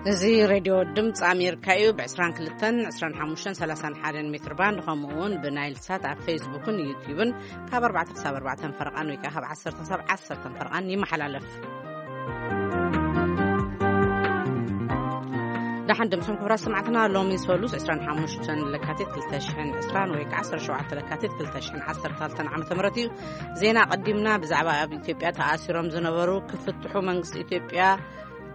እዚ ሬድዮ ድምፂ ኣሜሪካ እዩ። ብ22፣ 25፣ 31 ሜትር ባንድ፣ ከምኡ እውን ብናይል ሳት ኣብ ፌስቡክን ዩትዩብን ካብ ኣርባዕተ ክሳብ ኣርባዕተ ፈረቓን ወይ ከዓ ካብ ዓሰርተ ክሳብ ዓሰርተ ፈረቓን ይመሓላለፍ። ደሓን ድምፅን ክቡራት ሰማዕትና፣ ሎሚ ሰሉስ 25 ለካቲት 2020 ወይ ከዓ 17 ለካቲት 2013 ዓመተ ምህረት እዩ። ዜና ቀዲምና ብዛዕባ ኣብ ኢትዮጵያ ተኣሲሮም ዝነበሩ ክፍትሑ መንግስቲ ኢትዮጵያ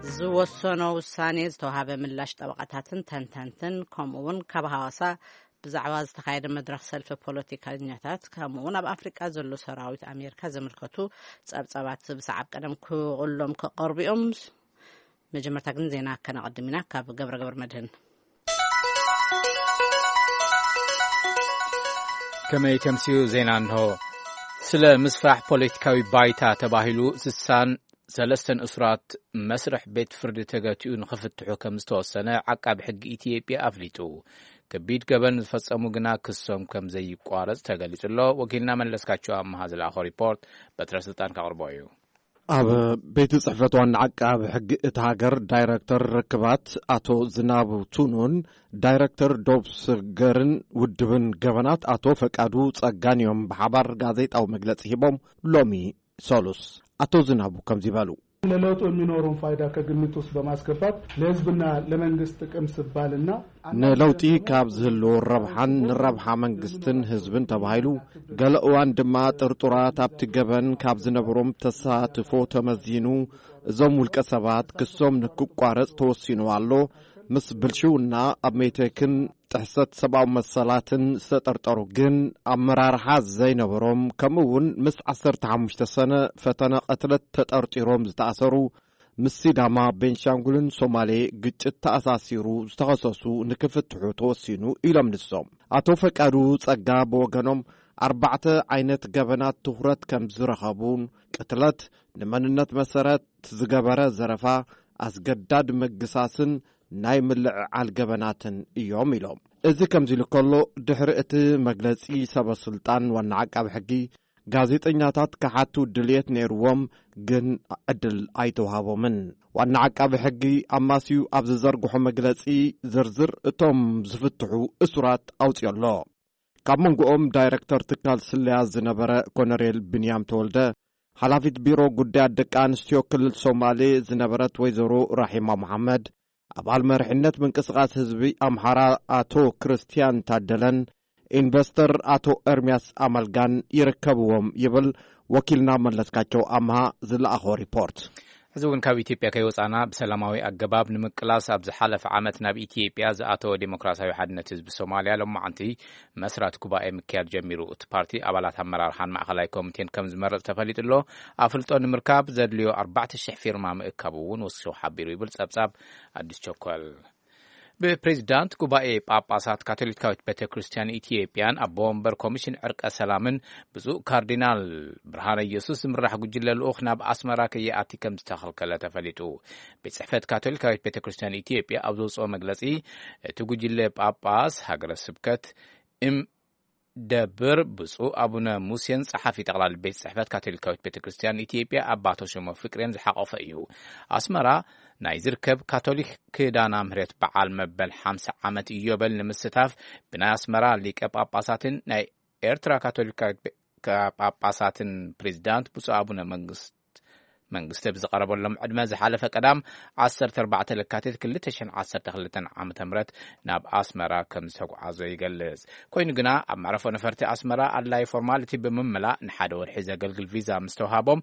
ዝወሰኖ ውሳኔ ዝተዋሃበ ምላሽ ጠበቃታትን ተንተንትን፣ ከምኡ እውን ካብ ሃዋሳ ብዛዕባ ዝተኻየደ መድረኽ ሰልፊ ፖለቲከኛታት፣ ከምኡ እውን ኣብ ኣፍሪቃ ዘሎ ሰራዊት ኣሜሪካ ዘመልከቱ ጸብጻባት ብሰዓብ ቀደም ክቕሎም ክቐርቡ እዮም። መጀመርታ ግን ዜና ከነቐድም ኢና ካብ ገብረ ገብረ መድህን። ከመይ ተምስዩ ዜና እንሆ። ስለ ምስፋሕ ፖለቲካዊ ባይታ ተባሂሉ ስሳን ሰለስተን እሱራት መስርሕ ቤት ፍርዲ ተገቲኡ ንኽፍትሑ ከም ዝተወሰነ ዓቃቢ ሕጊ ኢትዮጵያ ኣፍሊጡ። ከቢድ ገበን ዝፈጸሙ ግና ክሶም ከም ዘይቋረጽ ተገሊጹ ኣሎ። ወኪልና መለስካቸው ኣመሃ ዝለኣኾ ሪፖርት በትረ ስልጣን ከቕርቦ እዩ። ኣብ ቤት ጽሕፈት ዋና ዓቃቢ ሕጊ እታ ሃገር ዳይረክተር ርክባት ኣቶ ዝናቡ ቱኑን ዳይረክተር ዶብ ስገርን ውድብን ገበናት ኣቶ ፈቃዱ ጸጋን እዮም ብሓባር ጋዜጣዊ መግለጺ ሂቦም። ሎሚ ሰሉስ ኣቶ ዝናቡ ከምዚ በሉ። ለለውጡ የሚኖረውን ፋይዳ ከግምት ውስጥ በማስገባት ለህዝብና ለመንግስት ጥቅም ስባልና ንለውጢ ካብ ዝህልዎ ረብሓን ንረብሓ መንግስትን ህዝብን ተባሂሉ፣ ገለ እዋን ድማ ጥርጡራት ኣብቲ ገበን ካብ ዝነበሮም ተሳትፎ ተመዚኑ፣ እዞም ውልቀ ሰባት ክሶም ንክቋረጽ ተወሲኑ ኣሎ። ምስ ብልሽውና ኣብ ሜቴክን ጥሕሰት ሰብኣዊ መሰላትን ዝተጠርጠሩ ግን ኣመራርሓ ዘይነበሮም፣ ከምኡ እውን ምስ 15 ሰነ ፈተነ ቅትለት ተጠርጢሮም ዝተኣሰሩ፣ ምስ ሲዳማ፣ ቤንሻንጉልን ሶማሌ ግጭት ተኣሳሲሩ ዝተኸሰሱ ንክፍትሑ ተወሲኑ ኢሎም ንሶም። ኣቶ ፈቃዱ ጸጋ ብወገኖም ኣርባዕተ ዓይነት ገበናት ትኹረት ከም ዝረኸቡን ቅትለት፣ ንመንነት መሰረት ዝገበረ ዘረፋ፣ ኣስገዳድ ምግሳስን ናይ ምልዕዓል ገበናትን እዮም ኢሎም። እዚ ከምዚ ኢሉ ከሎ፣ ድሕሪ እቲ መግለጺ ሰበ ስልጣን ዋና ዓቃቢ ሕጊ፣ ጋዜጠኛታት ክሓቱ ድልየት ነይርዎም፣ ግን ዕድል ኣይተዋሃቦምን። ዋና ዓቃቢ ሕጊ ኣማስዩ ኣብ ዝዘርግሖ መግለጺ ዝርዝር እቶም ዝፍትሑ እሱራት ኣውፅዮ ኣሎ። ካብ መንጎኦም ዳይረክተር ትካል ስለያ ዝነበረ ኮነሬል ብንያም ተወልደ፣ ሓላፊት ቢሮ ጉዳያት ደቂ ኣንስትዮ ክልል ሶማሌ ዝነበረት ወይዘሮ ራሒማ መሓመድ፣ ኣባል መሪሕነት ምንቅስቃስ ህዝቢ ኣምሓራ ኣቶ ክርስቲያን ታደለን ኢንቨስተር ኣቶ ኤርሚያስ ኣመልጋን ይርከብዎም ይብል ወኪልና መለስካቸው ኣምሃ ዝለኣኾ ሪፖርት። እዚ እውን ካብ ኢትዮጵያ ከይወፃና ብሰላማዊ ኣገባብ ንምቅላስ ኣብ ዝሓለፈ ዓመት ናብ ኢትዮጵያ ዝኣተወ ዴሞክራሲያዊ ሓድነት ህዝቢ ሶማልያ ሎማዓንቲ መስራት ጉባኤ ምክያድ ጀሚሩ። እቲ ፓርቲ ኣባላት ኣመራርሓን ማእኸላይ ኮሚቴን ከም ዝመረፅ ተፈሊጡ ኣሎ። ኣፍልጦ ንምርካብ ዘድልዮ ኣርባዕተ ሽሕ ፊርማ ምእካቡ እውን ወሲኹ ሓቢሩ ይብል ፀብፃብ ኣዲስ ቸኮል። ብፕሬዚዳንት ጉባኤ ጳጳሳት ካቶሊካዊት ቤተ ክርስቲያን ኢትዮጵያን ኣቦ ወንበር ኮሚሽን ዕርቀ ሰላምን ብፁዕ ካርዲናል ብርሃነ ኢየሱስ ዝምራሕ ጉጅለ ልኡኽ ናብ ኣስመራ ከይኣቲ ከም ዝተኸልከለ ተፈሊጡ። ቤት ጽሕፈት ካቶሊካዊት ቤተ ክርስቲያን ኢትዮጵያ ኣብ ዘውፅኦ መግለጺ፣ እቲ ጉጅለ ጳጳስ ሃገረ ስብከት እም ደብር ብፁዕ ኣቡነ ሙሴን ጸሓፊ ጠቕላሊ ቤት ጽሕፈት ካቶሊካዊት ቤተ ክርስቲያን ኢትዮጵያ ኣባ ተሾመ ፍቅሬን ዝሓቖፈ እዩ። ኣስመራ ናይ ዝርከብ ካቶሊክ ክዳና ምህረት በዓል መበል ሓምሳ ዓመት ኢዮበል ንምስታፍ ብናይ ኣስመራ ሊቀ ጳጳሳትን ናይ ኤርትራ ካቶሊካዊት ቤ-፣ ካ-፣ ጳጳሳትን ፕሬዚዳንት ብፁዕ ኣቡነ መንግስት መንግስቲ ብዝቐረበሎም ዕድመ ዝሓለፈ ቀዳም ዓሰርተ ኣርባዕተ ለካቲት ክልተ ሽሕን ዓሰርተ ክልተን ዓመተ ምህረት ናብ ኣስመራ ከም ዝተጓዓዞ ይገልጽ። ኮይኑ ግና ኣብ መዕረፎ ነፈርቲ ኣስመራ ኣድላዪ ፎርማሊቲ ብምምላእ ንሓደ ወርሒ ዘገልግል ቪዛ ምስ ተዋሃቦም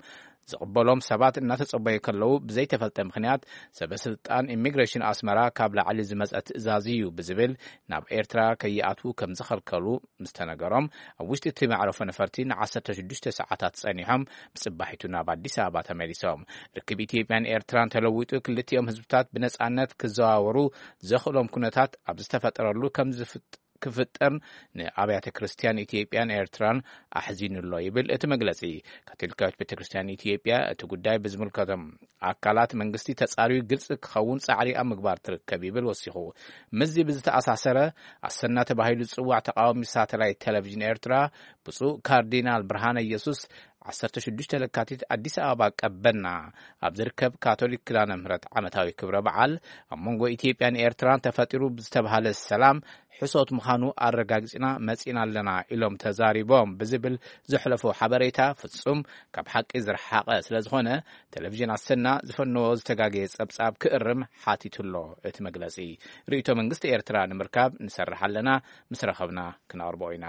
ዝቕበሎም ሰባት እናተጸበዩ ከለዉ ብዘይተፈልጠ ምኽንያት ሰበ ስልጣን ኢሚግሬሽን ኣስመራ ካብ ላዕሊ ዝመጸ ትእዛዝ እዩ ብዝብል ናብ ኤርትራ ከይኣትዉ ከም ዝኸልከሉ ምስ ተነገሮም፣ ኣብ ውሽጢ እቲ መዕረፎ ነፈርቲ ን16 ሰዓታት ጸኒሖም ብጽባሒቱ ናብ ኣዲስ ኣበባ ተመሊሶም። ርክብ ኢትዮጵያን ኤርትራን ተለዊጡ ክልቲኦም ህዝብታት ብነጻነት ክዘዋወሩ ዘኽእሎም ኩነታት ኣብ ዝተፈጠረሉ ከም ዝፍጥ-፣ ክፍጠር ንኣብያተ ክርስቲያን ኢትዮጵያን ኤርትራን ኣሕዚኑ ኣሎ ይብል እቲ መግለጺ። ካቶሊካዊት ቤተ ክርስቲያን ኢትዮጵያ እቲ ጉዳይ ብዝምልከቶም ኣካላት መንግስቲ ተጻርዩ ግልጺ ክኸውን ጻዕሪ ኣብ ምግባር ትርከብ ይብል ወሲኹ። ምስዚ ብዝተኣሳሰረ ኣሰና ተባሂሉ ዝጽዋዕ ተቃዋሚ ሳተላይት ቴሌቪዥን ኤርትራ ብፁዕ ካርዲናል ብርሃነ ኢየሱስ ዓሰርተ ሽዱሽተ ለካቲት ኣዲስ ኣበባ ቀበና ኣብ ዝርከብ ካቶሊክ ኪዳነ ምህረት ዓመታዊ ክብረ በዓል ኣብ መንጎ ኢትዮጵያን ኤርትራን ተፈጢሩ ብዝተባሃለ ሰላም ሕሶት ምዃኑ ኣረጋጊጽና መጺና ኣለና ኢሎም ተዛሪቦም ብዝብል ዘሕለፎ ሓበሬታ ፍጹም ካብ ሓቂ ዝረሓቐ ስለ ዝኾነ፣ ቴሌቪዥን ኣሰና ዝፈነዎ ዝተጋገየ ጸብጻብ ክእርም ሓቲቱ ኣሎ። እቲ መግለጺ፣ ርእይቶ መንግስቲ ኤርትራ ንምርካብ ንሰርሕ ኣለና፣ ምስ ረኸብና ክነቕርቦ ኢና።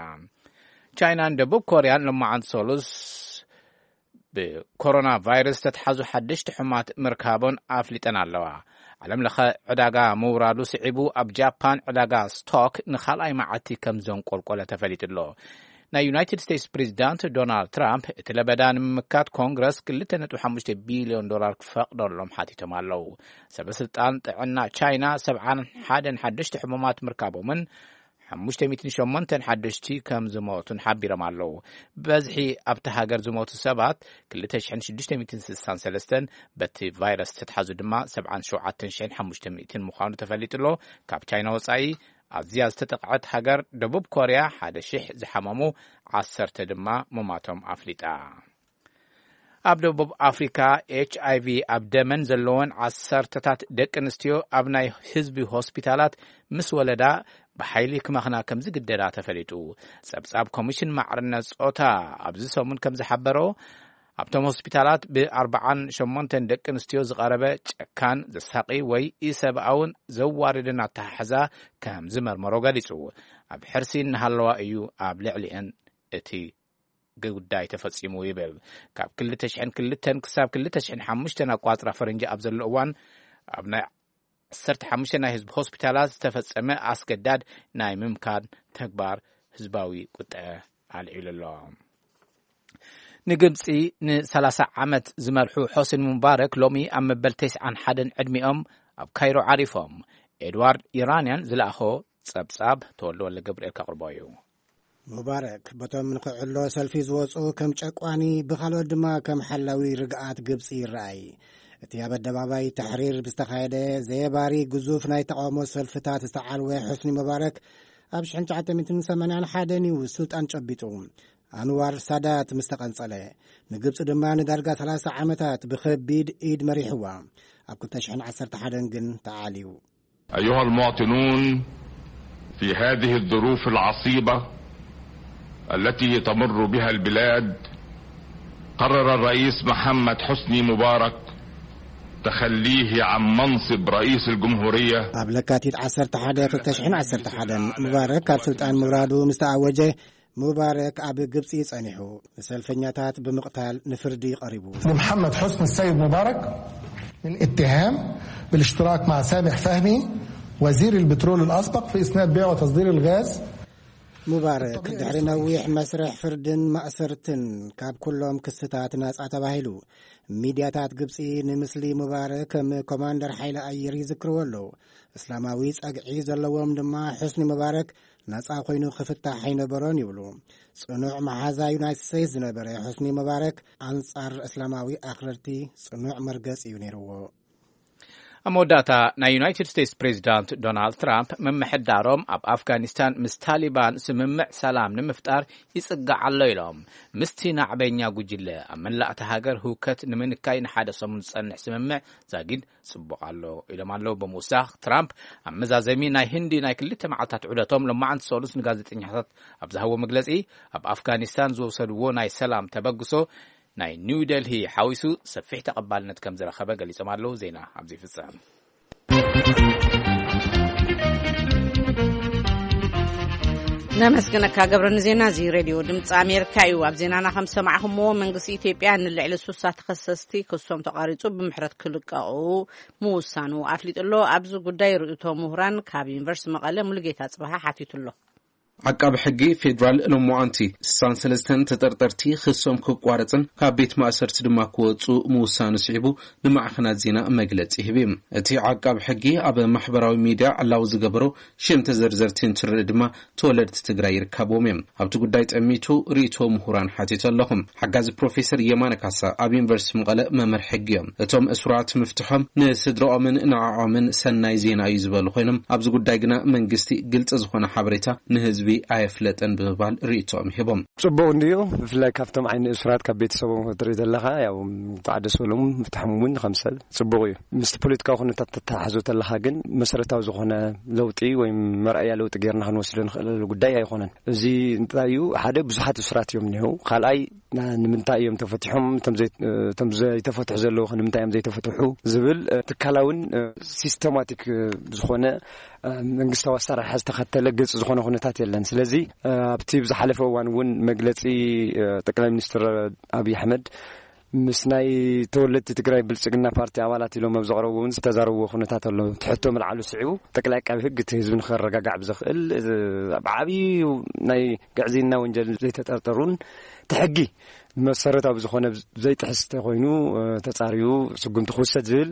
ቻይናን ደቡብ ኮርያን ሎማዓንቲ ሰሉስ ብኮሮና ቫይረስ ዝተትሓዙ ሓደሽቲ ሕማት ምርካቦን ኣፍሊጠን ኣለዋ። ዓለም ለኸ ዕዳጋ ምውራዱ ስዒቡ፣ ኣብ ጃፓን ዕዳጋ ስቶክ ንኻልኣይ መዓልቲ ከም ዘንቆልቆለ ተፈሊጡ ኣሎ። ናይ ዩናይትድ ስቴትስ ፕሬዚዳንት ዶናልድ ትራምፕ እቲ ለበዳ ንምምካት ኮንግረስ ክልተ ነጥቢ ሓሙሽተ ቢልዮን ዶላር ክፈቕደሎም ሓቲቶም ኣለዉ። ሰበ ስልጣን ጥዕና ቻይና ሰብዓን ሓደን ሓደሽቲ ሕሙማት ምርካቦምን ሓሙሽተ ሚእትን ሸሞንተን ሓደሽቲ ከም ዝሞቱን ሓቢሮም ኣለዉ። በዝሒ ኣብቲ ሃገር ዝሞቱ ሰባት ክልተ ሽሕን ሽዱሽተ ሚእትን ስሳን ሰለስተን፣ በቲ ቫይረስ ዝተትሓዙ ድማ ሰብዓን ሸውዓተን ሽሕን ሓሙሽተ ሚእትን ምዃኑ ተፈሊጡ ኣሎ። ካብ ቻይና ወጻኢ ኣዝያ ዝተጠቕዐት ሃገር ደቡብ ኮርያ ሓደ ሽሕ ዝሓመሙ ዓሰርተ ድማ ምማቶም ኣፍሊጣ። ኣብ ደቡብ ኣፍሪካ ኤች ኣይ ቪ ኣብ ደመን ዘለወን ዓሰርተታት ደቂ ኣንስትዮ ኣብ ናይ ህዝቢ ሆስፒታላት ምስ ወለዳ ብሓይሊ ክመኽና ከም ዝግደዳ ተፈሊጡ። ጸብጻብ ኮሚሽን ማዕርነት ጾታ ኣብዚ ሰሙን ከም ዝሓበሮ፣ ኣብቶም ሆስፒታላት ብኣርባዓን ሸሞንተን ደቂ ኣንስትዮ ዝቐረበ ጨካን፣ ዘሳቒ ወይ ኢሰብኣውን ዘዋርድን ኣተሓሕዛ ከም ዝመርመሮ ገሊጹ። ኣብ ሕርሲ እናሃለዋ እዩ ኣብ ልዕሊአን እቲ ጉዳይ ተፈጺሙ ይብል። ካብ ክልተ ሽሕን ክልተን ክሳብ ክልተ ሽሕን ሓሙሽተን ኣቋጽራ ፈረንጂ ኣብ ዘሎ እዋን፣ ኣብ ናይ ዓሰርተ ሓሙሽተ ናይ ህዝቢ ሆስፒታላት ዝተፈጸመ ኣስገዳድ ናይ ምምካን ተግባር ህዝባዊ ቁጥዐ ኣልዒሉ ኣሎ። ንግብጺ ንሰላሳ ዓመት ዝመርሑ ሖስኒ ሙባረክ ሎሚ ኣብ መበል ተስዓን ሓደን ዕድሚኦም ኣብ ካይሮ ዓሪፎም። ኤድዋርድ ኢራንያን ዝለኣኾ ጸብጻብ ተወልደ ወልደ ገብርኤል ከቕርቦ እዩ። ሙባረክ በቶም ንክዕሎ ሰልፊ ዝወጹ ከም ጨቋኒ፣ ብኻልኦት ድማ ከም ሓላዊ ርግኣት ግብጺ ይረኣይ። እቲ ኣብ ኣደባባይ ተሕሪር ብዝተኻየደ ዘየባሪ ግዙፍ ናይ ተቓውሞ ሰልፍታት ዝተዓልወ ሑስኒ ሙባረክ ኣብ ሽሕን ትሽዓተ ሚእትን ሰማንያን ሓደን እዩ ስልጣን ጨቢጡ። ኣንዋር ሳዳት ምስ ተቐንጸለ፣ ንግብጺ ድማ ንዳርጋ ሰላሳ ዓመታት ብኸቢድ ኢድ መሪሕዋ። ኣብ ክልተ ሽሕን ዓሰርተ ሓደን ግን ተዓልዩ። أيها المواطنون، في هذه الظروف العصيبة التي تمر بها البلاد، قرر الرئيس محمد حسني مبارك تخليه عن منصب رئيس الجمهورية. ኣብ ለካቲት ዓሰርተ ሓደ ክልተ ሽሕን ዓሰርተ ሓደን ሙባረክ ካብ ስልጣን ምውራዱ ምስ ተኣወጀ፣ ሙባረክ ኣብ ግብጺ ጸኒሑ ንሰልፈኛታት ብምቕታል ንፍርዲ ቀሪቡ። لمحمد حسني السيد مبارك الاتهام بالاشتراك مع سامح فهمي وزير البترول الأسبق في إسناد بيع وتصدير الغاز. ሙባረክ ድሕሪ ነዊሕ መስርሕ ፍርድን ማእሰርትን ካብ ኩሎም ክስታት ናጻ ተባሂሉ። ሚድያታት ግብጺ ንምስሊ ሙባረክ ከም ኮማንደር ሓይሊ ኣየር ይዝክርዎ ኣለዉ። እስላማዊ ጸግዒ ዘለዎም ድማ፣ ሑስኒ ሙባረክ ናጻ ኮይኑ ክፍታሕ ኣይነበሮን ይብሉ። ጽኑዕ መሓዛ ዩናይትድ ስቴትስ ዝነበረ ሑስኒ ሙባረክ ኣንጻር እስላማዊ ኣኽረርቲ ጽኑዕ መርገጺ እዩ ነይርዎ። ኣብ መወዳእታ፣ ናይ ዩናይትድ ስቴትስ ፕሬዚዳንት ዶናልድ ትራምፕ ምምሕዳሮም ኣብ ኣፍጋኒስታን ምስ ታሊባን ስምምዕ ሰላም ንምፍጣር ይጽጋዕ ኣሎ ኢሎም። ምስቲ ናዕበኛ ጉጅለ ኣብ መላእቲ ሃገር ህውከት ንምንካይ ንሓደ ሰሙን ዝጸንሕ ስምምዕ ዛጊድ ጽቡቕ ኣሎ ኢሎም ኣለዉ። ብምውሳኽ ትራምፕ፣ ኣብ መዛዘሚ ናይ ህንዲ ናይ ክልተ መዓልታት ዑደቶም፣ ሎማዓንቲ ሰሉስ ንጋዜጠኛታት ኣብ ዝሃቦ መግለጺ፣ ኣብ ኣፍጋኒስታን ዝወሰድዎ ናይ ሰላም ተበግሶ ናይ ኒው ደልሂ ሓዊሱ ሰፊሕ ተቐባልነት ከም ዝረኸበ ገሊጾም ኣለዉ። ዜና ኣብዚ ይፍጸም። ነመስግነካ ገብረ። ንዜና እዚ ሬድዮ ድምፂ ኣሜሪካ እዩ። ኣብ ዜናና ከም ሰማዕኹምዎ፣ መንግስቲ ኢትዮጵያ ንልዕሊ ሱሳ ተኸሰስቲ ክሶም ተቋሪፁ ብምሕረት ክልቀቑ ምውሳኑ ኣፍሊጡ ኣሎ። ኣብዚ ጉዳይ ርእይቶ ምሁራን ካብ ዩኒቨርሲቲ መቐለ ሙሉጌታ ጽባሃ ሓቲቱ ኣሎ። ዓቃቢ ሕጊ ፌዴራል ሎማዓንቲ ስሳን ሰለስተን ተጠርጠርቲ ክሶም ክቋረፅን ካብ ቤት ማእሰርቲ ድማ ክወፁ ምውሳኑ ስዒቡ ንማዕኸናት ዜና መግለፂ ሂቡ። እቲ ዓቃቢ ሕጊ ኣብ ማሕበራዊ ሚድያ ዕላዊ ዝገበሮ ሽም ተዘርዘርቲ እንትርኢ ድማ ተወለድቲ ትግራይ ይርከብዎም እዮም። ኣብቲ ጉዳይ ጠሚቱ ርእይቶ ምሁራን ሓቲቱ ኣለኹ። ሓጋዚ ፕሮፌሰር የማነ ካሳ ኣብ ዩኒቨርሲቲ መቐለ መምህር ሕጊ እዮም። እቶም እሱራት ምፍትሖም ንስድራኦምን ንዕዖምን ሰናይ ዜና እዩ ዝበሉ ኮይኖም፣ ኣብዚ ጉዳይ ግና መንግስቲ ግልፂ ዝኾነ ሓበሬታ ንህዝቢ ህዝቢ ኣየፍለጠን ብምባል ርእይቶኦም ሂቦም። ጽቡቕ እንድዩ። ብፍላይ ካብቶም ዓይኒ እሱራት ካብ ቤተሰቦም ክትርኢ ዘለኻ፣ ያው፣ ተዓደሰሎም ፍትሖም እውን ከም ሰብ ጽቡቕ እዩ። ምስቲ ፖለቲካዊ ኩነታት ተተሓሕዞ ተለኻ ግን መሰረታዊ ዝኾነ ለውጢ ወይ መርኣያ ለውጢ ጌርና ክንወስዶ ንኽእለሉ ጉዳይ ኣይኾነን። እዚ እንታይ እዩ? ሓደ፣ ብዙሓት እሱራት እዮም እኒሄው። ካልኣይ፣ ና-፣ ንምንታይ እዮም ተፈቲሖም? እቶም ዘይ-፣ እቶም ዘይተፈትሑ ዘለዉ ኸ ንምንታይ እዮም ዘይተፈትሑ? ዝብል፣ እ፣ ትካላውን፣ እ፣ ሲስተማቲክ፣ እ፣ ዝኾነ፣ እ፣ መንግስታዊ ኣሰራርሓ ዝተኸተለ ግልፂ ዝኾነ ኩነታት የለን። ስለዚ፣ እ፣ ኣብቲ ብዝሓለፈ እዋን እውን መግለፂ፣ እ፣ ጠቅላይ ሚኒስትር ኣብይ ኣሕመድ ምስ ናይ ተወለድቲ ትግራይ ብልፅግና ፓርቲ ኣባላት ኢሎም ኣብ ዘቕረብዎ እውን ዝተዛረብዎ ኩነታት ኣሎ። እቲ ሕቶ ምልዓሉ ስዒቡ ጠቅላይ ዓቃቢ ህግ እቲ ህዝቢ ንኸረጋጋዕ ብዘኽእል፣ እ፣ ኣብ ዓብዪ ናይ ግዕዝይና ወንጀል ዘይተጠርጠሩን እቲ ሕጊ መሰረታዊ ዝኾነ ዘይጥሕስ ተኾይኑ፣ እ፣ ተጻርዩ ስጉምቲ ክውሰድ ዝብል፣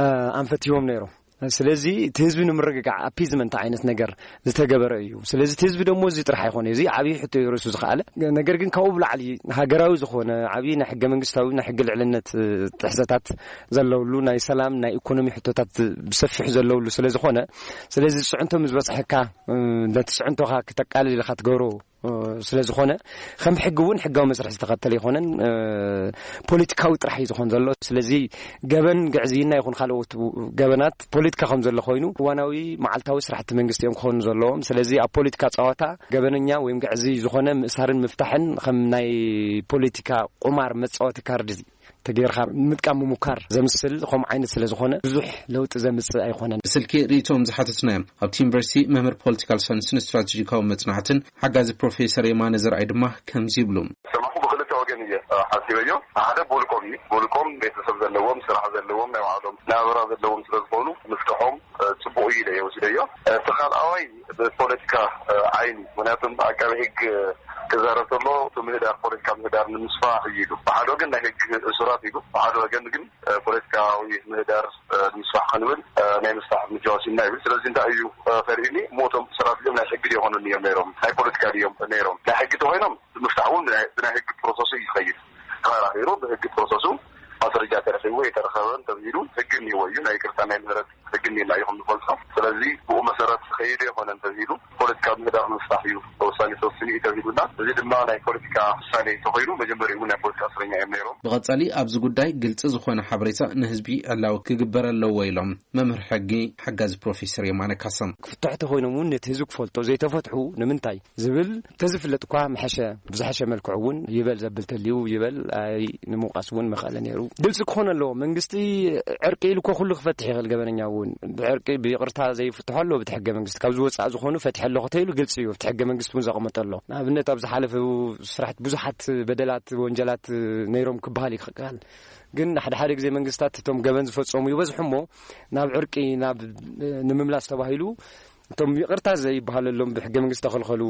እ፣ ኣንፈት ሂቦም ነይሮም። ስለዚ እቲ ህዝቢ ንምርግጋዕ ኣፒዝመንት ዓይነት ነገር ዝተገበረ እዩ። ስለዚ እቲ ህዝቢ ደሞ እዚ ጥራሕ ኣይኮነ፣ እዚ ዓብዪ ሕቶ እዩ ርእሱ ዝኸኣለ። ነገር ግን ካብኡ ብላዕሊ ሃገራዊ ዝኾነ ዓብዪ ናይ ሕገ መንግስታዊ ናይ ሕጊ ልዕልነት፣ እ፣ ጥሕሰታት ዘለውሉ ናይ ሰላም ናይ ኢኮኖሚ ሕቶታት ብሰፊሑ ዘለውሉ ስለ ዝኾነ፣ ስለዚ ጽዕንቶ ምስ በጽሐካ፣ እ፣ ነቲ ጽዕንቶኻ ክተቃልል ኢልካ ትገብሮ እ፣ ስለ ዝኾነ፣ ከም ሕጊ እውን ሕጋዊ መስርሕ ዝተኸተለ ኣይኮነን፣ እ፣ ፖለቲካዊ ጥራሕ እዩ ዝኾን ዘሎ። ስለዚ ገበን ግዕዝይና ይኹን ካልኦት ገበናት ፖለቲካ ከም ዘሎ ኮይኑ፣ እዋናዊ መዓልታዊ ስራሕቲ መንግስቲ እዮም ክኾኑ ዘለዎም። ስለዚ ኣብ ፖለቲካ ጸዋታ ገበነኛ ወይም ግዕዝይ ዝኾነ ምእሳርን ምፍታሕን ከም ናይ ፖለቲካ ቁማር መጻወቲ ካርድ ተጌርካ ምጥቃም ምሙካር ዘምስል ከምኡ ዓይነት ስለ ዝኾነ ብዙሕ ለውጢ ዘምጽእ ኣይኮነን። ብስልኪ ርእይቶኦም ዝሓተትናዮም ኣብቲ ዩኒቨርሲቲ መምህር ፖለቲካል ሳይንስን ስትራቴጂካዊ መጽናዕትን ሓጋዚ ፕሮፌሰር የማነ ዘርኣይ ድማ ከምዚ ይብሉ። ሰማኹ ብክልተ ወገን እየ፣ እ፣ ሓሲበዮ። ሓደ ብውልቆም እዩ። ብውልቆም ቤተሰብ ዘለዎም፣ ስራሕ ዘለዎም፣ ናይ ባዕሎም ናብራ ዘለዎም ስለ ዝኾኑ ምፍትሖም፣ እ፣ ጽቡቕ እዩ ኢለ እየ ወሲደዮ። እቲ ካልኣዋይ ብፖለቲካ፣ እ፣ ዓይኒ፣ ምክንያቱም ኣቃቤ ሕግ ክዛረብ ከሎ እቲ ምህዳር፣ ፖለቲካ ምህዳር ንምስፋሕ እዩ ኢሉ። ብሓደ ወገን ናይ ሕግ እሱራት ኢሉ፣ ብሓደ ወገን ግን፣ እ፣ ፖለቲካዊ ምህዳር፣ እ፣ ንምስፋሕ ክንብል፣ እ፣ ናይ ምስፋሕ እርምጃ ወሲድና ይብል። ስለዚ እንታይ እዩ፣ እ፣ ከርእዩኒ እሞ እቶም እሱራት እዚኦም ናይ ሕጊ ድዮም ይኾኑኒ እዮም ነይሮም፣ ናይ ፖለቲካ ድዮም ነይሮም? ናይ ሕጊ ተኾይኖም ምፍታሕ እውን ብናይ፣ ብናይ ሕጊ ፕሮሰሱ እዩ ዝኸይድ። ተኸራኺሩ ብሕጊ ፕሮሰሱ ማስረጃ ተረኺቡ ወይ ተረኸበ እንተብሂሉ ሕጊ እኒዎ እዩ። ናይ ይቅርታ ናይ ምህረት ሕጊ እኒና እዩ ከም ንፈልጦ። ስለዚ ብኡ መሰረት ዝኸይድ ኣይኮነን ተብሂሉ ፖለቲካዊ ምህዳር ንምፍታሕ እዩ ውሳኔ ተወሲኑ እዩ ተብሂሉና። እዚ ድማ ናይ ፖለቲካ ውሳኔ ተኾይኑ መጀመሪኡ እውን ናይ ፖለቲካ እስረኛ እዮም ነይሮም። ብቐጻሊ ኣብዚ ጉዳይ ግልጺ ዝኾነ ሓበሬታ ንህዝቢ ዕላዊ ክግበር ኣለዎ ኢሎም መምህር ሕጊ ሓጋዚ ፕሮፌሰር የማነ ካሳ። ክፍትሑ ተኾይኖም እውን ነቲ ህዝቢ ክፈልጦ ዘይተፈትሑ ንምንታይ ዝብል ተዝፍለጥ እኳ ምሐሸ፣ ብዝሐሸ መልክዑ እውን ይበል ዘብል ተልዩ ይበል፣ ኣይ ንምውቃስ እውን መኸእለ ነይሩ። ግልፂ ክኾን ኣለዎ። መንግስቲ ዕርቂ ኢሉ እኮ ኩሉ ክፈትሕ ይኽእል። ገበነኛ እውን ብዕርቂ ብይቕርታ ዘይፍትሖ ኣለዎ። ብቲ ሕገ መንግስቲ ካብ ዝወፃእ ዝኾኑ ፈትሐ ኣለኹ ተይሉ ግልፂ እዩ። ብቲ ሕገ መንግስቲ እውን ዘቐመጠ ኣሎ። ንኣብነት ኣብ ዝሓለፈ ስራሕቲ ብዙሓት በደላት፣ ወንጀላት ነይሮም ክበሃል ይኽእል። ግን ሓደ ሓደ ግዜ መንግስታት እቶም ገበን ዝፈጸሙ ይበዝሑ እሞ ናብ ዕርቂ ናብ ንምምላስ ተባሂሉ እቶም ይቕርታ ዘይበሃለሎም ብሕገ መንግስቲ ተኸልኸሉ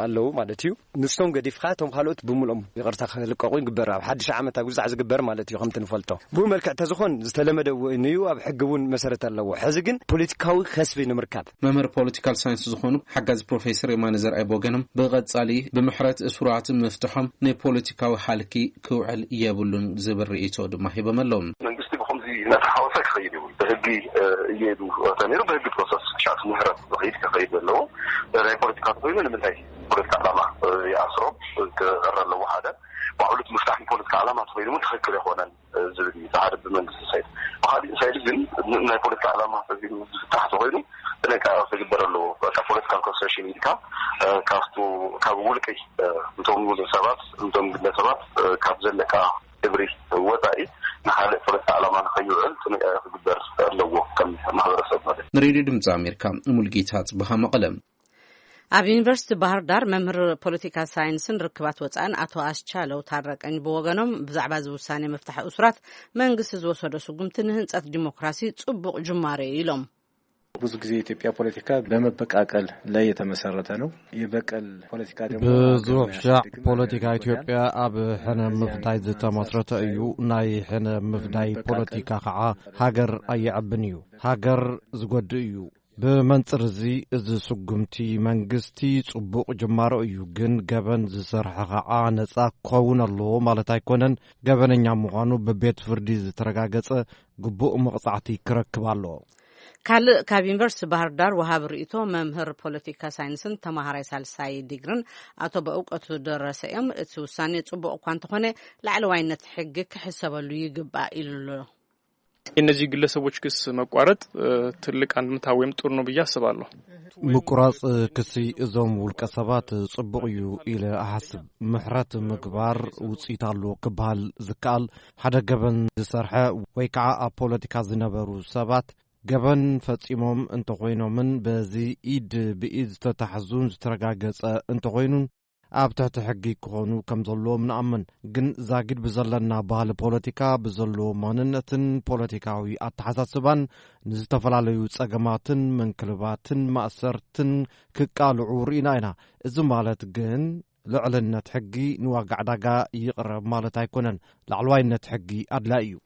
ኣለዉ ማለት እዩ። ንሶም ገዲፍካ እቶም ካልኦት ብምልኦም ይቕርታ ክልቀቑ ይግበር። ኣብ ሓድሽ ዓመት ኣብ ግዛዕ ዝግበር ማለት እዩ። ከምቲ ንፈልጦ ብኡ መልክዕ ተዝኾን ዝተለመደ እውን እዩ። ኣብ ሕጊ እውን መሰረት ኣለዎ። ሕዚ ግን ፖለቲካዊ ከስቢ ንምርካብ መምህር ፖለቲካል ሳይንስ ዝኾኑ ሓጋዚ ፕሮፌሰር የማነ ዘርኣይ ብወገኖም ብቐጻሊ ብምሕረት እሱራት ምፍትሖም ንፖለቲካዊ ሃልኪ ክውዕል የብሉን ዝብል ርእይቶ ድማ ሂቦም ኣለዉ። መንግስቲ ብኸምዚ እናተሓወሰ ክኸይድ ይብሉ። ብሕጊ፣ እ፣ እየዱ ተነይሩ ብሕጊ ፕሮሰስ ክሻት ምህረት ዝኸይድ ክኸይድ ዘለዎ። ናይ ፖለቲካ ተኮይኑ ንምንታይ ፖለቲካ ዓላማ፣ እ፣ ይኣስሮ ክቐረ ኣለዎ? ሓደ ባዕሉ እቲ ምፍታሕ ንፖለቲካ ዓላማ ተኮይኑ እውን ትኽክል ኣይኮነን፣ እ፣ ዝብል እዩ። ሓደ ብመንግስቲ ሳይድ። ብካሊእ ሳይድ ግን ን-፣ ናይ ፖለቲካ ዓላማ ተኮይኑ ዝፍታሕ ተኮይኑ ጥንቃቄ ክግበር ኣለዎ። በቃ ፖለቲካል ኮንሰሽን ኢልካ፣ እ፣ ካብቱ፣ ካብ ውልቂ፣ እ፣ እንቶም ሰባት፣ እንቶም ግለሰባት፣ እ፣ ካብ ዘለካ ክብሪ ወፃኢ ንካልእ ፖለቲካ ዓላማ ንከይውዕል ጥንቃቄ ክግበር ኣለዎ ከም ማህበረሰብ ማለት እዩ። ንሬድዮ ድምፂ ኣሜሪካ ሙልጌታ ጽብሃ መቐለ። ኣብ ዩኒቨርሲቲ ባህር ዳር መምህር ፖለቲካ ሳይንስን ርክባት ወፃእን ኣቶ ኣስቻለው ታረቀኝ ብወገኖም ብዛዕባ እዚ ውሳኔ ምፍታሕ እሱራት መንግስቲ ዝወሰዶ ስጉምቲ ንህንፀት ዲሞክራሲ ጽቡቕ ጅማሬ እዩ ኢሎም። ብዙ ጊዜ የኢትዮጵያ ፖለቲካ በመበቃቀል ላይ የተመሰረተ ነው። የበቀል ፖለቲካ ደግሞ ብዙሕ ሻዕ ፖለቲካ ኢትዮጵያ ኣብ ሕነ ምፍዳይ ዝተመስረተ እዩ። ናይ ሕነ ምፍዳይ ፖለቲካ ከዓ ሃገር ኣየዕብን እዩ፣ ሃገር ዝጎድእ እዩ። ብመንፅር እዚ፣ እዚ ስጉምቲ መንግስቲ ፅቡቕ ጅማሮ እዩ፣ ግን ገበን ዝሰርሐ ከዓ ነፃ ክኸውን ኣለዎ ማለት ኣይኮነን። ገበነኛ ምዃኑ ብቤት ፍርዲ ዝተረጋገፀ ግቡእ መቕፃዕቲ ክረክብ ኣለዎ። ካልእ ካብ ዩኒቨርሲቲ ባህር ዳር ወሃቢ ርእይቶ፣ መምህር ፖለቲካ ሳይንስን ተማሃራይ ሳልሳይ ዲግርን ኣቶ በእውቀቱ ደረሰ እዮም። እቲ ውሳኔ ጽቡቕ እኳ እንተኾነ፣ ላዕለዋይነት ሕጊ ክሕሰበሉ ይግባእ ኢሉ ኣሎ። የእነዚህ ግለሰቦች ክስ መቋረጥ ትልቅ አንድምታ ወይም ጥሩ ነው ብዬ አስባለሁ። ምቁራጽ ክሲ እዞም ውልቀ ሰባት ጽቡቕ እዩ ኢለ እሓስብ። ምሕረት ምግባር ውጽኢት ኣለዎ ክበሃል ዝከኣል፣ ሓደ ገበን ዝሰርሐ ወይ ከዓ ኣብ ፖለቲካ ዝነበሩ ሰባት ገበን ፈጺሞም እንተኾይኖምን በዚ ኢድ ብኢድ ዝተታሕዙን ዝተረጋገጸ እንተኾይኑን ኣብ ትሕቲ ሕጊ ክኾኑ ከም ዘለዎም ንኣምን። ግን ዛጊድ ብዘለና ባህሊ ፖለቲካ፣ ብዘለዎ ማንነትን ፖለቲካዊ ኣተሓሳስባን ንዝተፈላለዩ ጸገማትን ምንክልባትን ማእሰርትን ክቃልዑ ርኢና ኢና። እዚ ማለት ግን ልዕልነት ሕጊ ንዋጋ ዕዳጋ ይቕረብ ማለት ኣይኮነን። ላዕለዋይነት ሕጊ ኣድላይ እዩ።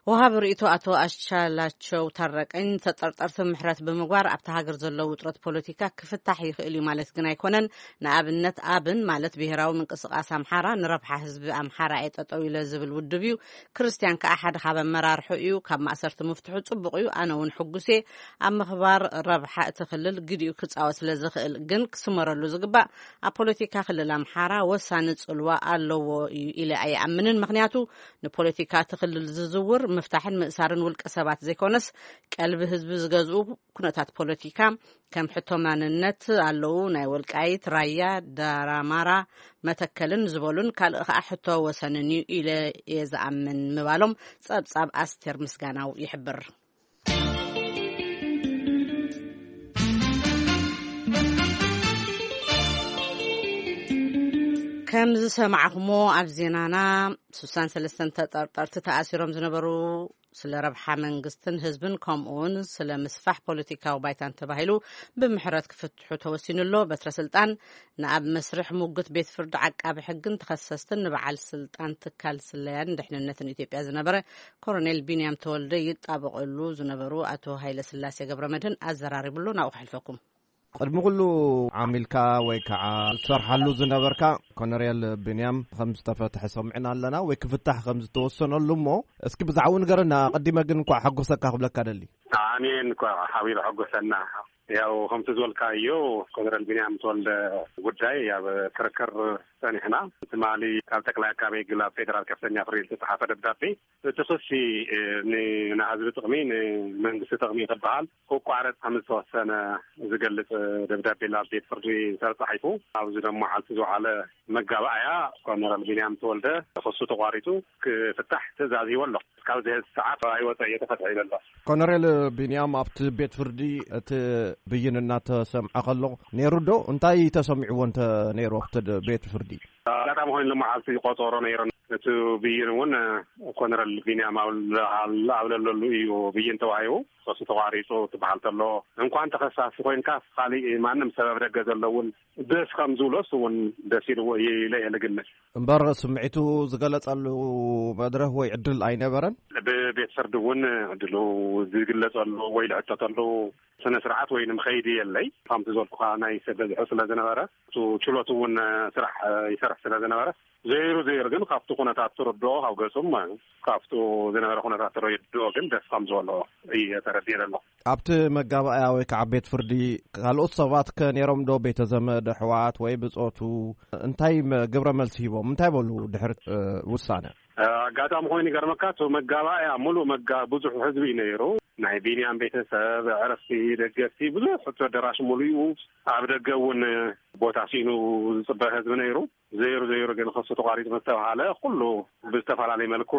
ወሃቢ ርእይቶ ኣቶ ኣሻላቸው ታረቀኝ፣ ተጠርጠርቲ ምሕረት ብምግባር ኣብቲ ሃገር ዘሎ ውጥረት ፖለቲካ ክፍታሕ ይኽእል እዩ ማለት ግን ኣይኮነን። ንኣብነት ኣብን ማለት ብሄራዊ ምንቅስቃስ ኣምሓራ ንረብሓ ህዝቢ ኣምሓራ እየ ጠጠው ኢለ ዝብል ውድብ እዩ። ክርስቲያን ከኣ ሓደ ካብ ኣመራርሑ እዩ። ካብ ማእሰርቲ ምፍትሑ ጽቡቕ እዩ። ኣነ እውን ሕጉስ እየ። ኣብ ምኽባር ረብሓ እቲ ክልል ግዲኡ ክጻወት ስለ ዝኽእል ግን ክስመረሉ ዝግባእ ኣብ ፖለቲካ ክልል ኣምሓራ ወሳኒ ጽልዋ ኣለዎ እዩ ኢለ ኣይኣምንን። ምኽንያቱ ንፖለቲካ እቲ ክልል ዝዝውር ምፍታሕን ምእሳርን ውልቀ ሰባት ዘይኮነስ ቀልቢ ህዝቢ ዝገዝኡ ኩነታት ፖለቲካ ከም ሕቶ ማንነት ኣለዉ። ናይ ወልቃይት፣ ራያ፣ ዳራማራ፣ መተከልን ዝበሉን ካልእ ከዓ ሕቶ ወሰንን እዩ ኢለ እየ ዝኣምን ምባሎም ጸብጻብ ኣስቴር ምስጋናው ይሕብር። ከም ዝሰማዕኹሞ ኣብ ዜናና ስሳን ሰለስተን ተጠርጠርቲ ተኣሲሮም ዝነበሩ ስለ ረብሓ መንግስትን ህዝብን ከምኡውን ስለ ምስፋሕ ፖለቲካዊ ባይታን ተባሂሉ ብምሕረት ክፍትሑ ተወሲኑ ኣሎ። በትረ ስልጣን ንኣብ መስርሕ ሙግት ቤት ፍርዲ ዓቃቢ ሕግን ተኸሰስትን ንበዓል ስልጣን ትካል ስለያን ድሕንነትን ኢትዮጵያ ዝነበረ ኮሎኔል ቢንያም ተወልደ ይጣበቐሉ ዝነበሩ ኣቶ ሃይለ ስላሴ ገብረ መድህን ኣዘራሪብሉ ናብኡ ክሕልፈኩም። ቅድሚ ኩሉ ዓሚልካ ወይ ከዓ ዝሰርሓሉ ዝነበርካ ኮነሬል ብንያም ከም ዝተፈትሐ ሰሚዕና ኣለና ወይ ክፍታሕ ከም ዝተወሰነሉ እሞ እስኪ ብዛዕባኡ ንገረና። ኣቐዲመ ግን እንኳዕ ሓጎሰካ ክብለካ ደሊ። ኣሜን። እንኳዕ ሓቢሩ ሓጎሰና። ያው ከምቲ ዝበልካዮ ኮነሬል ቢንያም ተወልደ ጉዳይ ኣብ ክርክር ጸኒሕና። ትማሊ ካብ ጠቅላይ ኣቃቤ ሕግ ናብ ፌደራል ከፍተኛ ፍርድ ቤት ዝተጻሓፈ ደብዳቤ እቲ ክሲ ንናህዝቢ ጥቕሚ ንመንግስቲ ጥቕሚ ክበሃል ክቋረጽ ከም ዝተወሰነ ዝገልጽ ደብዳቤ ናብ ቤት ፍርዲ ዝተጻሒፉ ኣብዚ ደሞ ዓልቲ ዝወዓለ መጋባእያ ኮነረል ቢንያም ተወልደ ክሱ ተቋሪጹ ክፍታሕ ትእዛዝ ሂቦ ኣሎ። እስካብ ዝህዝ ሰዓት ኣይወፀ እየተፈትሐ ይበሎ። ኮነሬል ቢንያም ኣብቲ ቤት ፍርዲ እቲ ብይን እናተሰምዐ ከሎ ነይሩ ዶ? እንታይ ተሰሚዕዎ እንተ ነይሩ ኣብቲ ቤት ፍርዲ? ኣጋጣሚ ኮይኑ ሎመዓልቲ ቆፀሮ ነይሩ። እቲ ብይን እውን ኮነረል ቢንያም ኣብ ለለሉ እዩ ብይን ተዋሂቡ። ክሱ ተቋሪፁ ትበሃል ተሎ እንኳን ተኸሳሲ ኮይንካ ካሊእ ማንም ሰበብ ደገ ዘለውን ደስ ከም ዝብሎስ እውን ደስ ኢልዎ ኢለ እየ ልግምት። እምበር ስምዒቱ ዝገለጸሉ መድረኽ ወይ ዕድል ኣይነበረን። ብቤት ፍርዲ እውን ዕድሉ ዝግለጸሉ ወይ ዝሕተተሉ ስነ ስርዓት ወይ ንምኸይዲ የለይ። ከምቲ ዝበልኩኻ ናይ ሰብ በዝሑ ስለ ዝነበረ እቲ ችሎት እውን ስራሕ ይሰርሕ ስለ ዝነበረ ዘይሩ ዘይሩ ግን ካብቲ ኩነታት ትርድኦ ካብ ገጹም ካብቱ ዝነበረ ኩነታት ተረድኦ ግን ደስ ከም ዝበሎ እየ ተረዲኤ ዘሎ። ኣብቲ መጋባእያ ወይ ከዓ ቤት ፍርዲ ካልኦት ሰባት ከ ነይሮም ዶ? ቤተ ዘመድ፣ ኣሕዋት ወይ ብጾቱ እንታይ መ-፣ ግብረ መልሲ ሂቦም? እንታይ በሉ ድሕሪ እ፣ ውሳነ? ኣጋጣሚ ኮይኑ ይገርመካ እቲ መጋባእያ ሙሉእ መጋ ብዙሕ ህዝቢ እዩ ነይሩ። ናይ ቢንያም ቤተሰብ፣ ዕረፍቲ፣ ደገፍቲ ብዙሕ እቲ ኣደራሽ ሙሉኡ ኣብ ደገ እውን ቦታ ሲኑ ዝፅበ ህዝቢ ነይሩ። ዘይሩ ዘይሩ ግን ክሱ ተቋሪፁ ምስ ተባሃለ ኩሉ ብዝተፈላለየ መልክዑ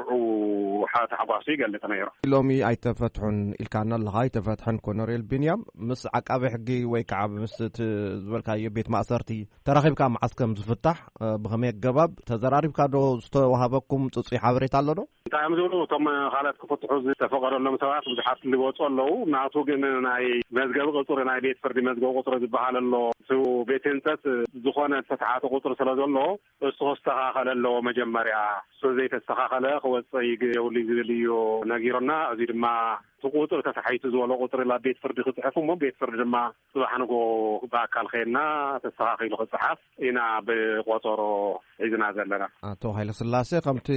ሓ-፣ ታሕጓሱ ይገልፅ ነይሩ። ሎሚ ኣይተፈትሑን ኢልካና ኣለኻ። ኣይተፈትሐን ኮነሬል ቢንያም ምስ ዓቃቢ ሕጊ ወይ ከዓ ምስ እቲ ዝበልካዮ ቤት ማእሰርቲ ተራኺብካ መዓስ ከም ዝፍታሕ፣ እ፣ ብኸመይ ኣገባብ ተዘራሪብካ ዶ? ዝተዋሃበኩም ጽጹይ ሓበሬታ ኣሎ ዶ? እንታይ እዮም ዝብሉ እቶም ካልኦት ክፍትሑ ዝተፈቐደሎም ሰባት ብዙሓት ዝወፁ ኣለዉ። ናቱ ግን ናይ መዝገብ ቁፅሪ ናይ ቤት ፍርዲ መዝገብ ቁፅሪ ዝበሃል ኣሎ። እቲ ቤት ህንፀት ዝኾነ ዝተተሓተ ቁፅሪ ስለ ዘሎ እሱ ክስተኻኸል ኣለዎ መጀመርያ። እሱ ዘይተስተኻኸለ ክወፅእ ይግ-፣ የብሉ ዝብል እዩ ነጊሮና። እዚ ድማ እቲ ቁፅሪ ተታሒቱ ዝበሎ ቁፅሪ ናብ ቤት ፍርዲ ክፅሕፍ እሞ ቤት ፍርዲ ድማ ፅባሕ ንጎ ብኣካል ከይድና ተስተኻኺሉ ክፅሓፍ ኢና ብቆፀሮ ሒዝና ዘለና። ኣቶ ሃይለስላሴ ከምቲ